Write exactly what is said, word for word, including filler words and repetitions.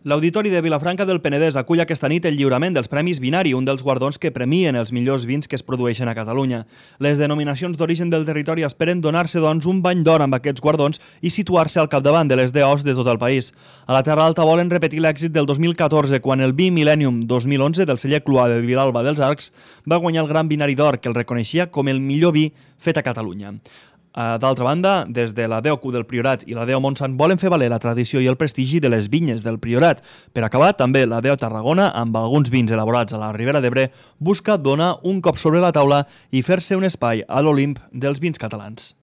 L'Auditori de Vilafranca del Penedès acull aquesta nit el lliurament dels Premis Binari, un dels guardons que premien els millors vins que es produeixen a Catalunya. Les denominacions d'origen del territori esperen donar-se, doncs, un bany d'or amb aquests guardons i situar-se al capdavant de les D Os de tot el país. A la Terra Alta volen repetir l'èxit del dos mil catorze, quan el vi Millennium dos mil onze del celler Cluà de Vilalba dels Arcs va guanyar el Gran Binari d'Or, que el reconeixia com el millor vi fet a Catalunya. D'altra banda, des de la D O Q del Priorat i la D O Montsant volen fer valer la tradició i el prestigi de les vinyes del Priorat. Per acabar, també la D O Tarragona, amb alguns vins elaborats a la Ribera d'Ebre, busca donar un cop sobre la taula i fer-se un espai a l'Olimp dels vins catalans.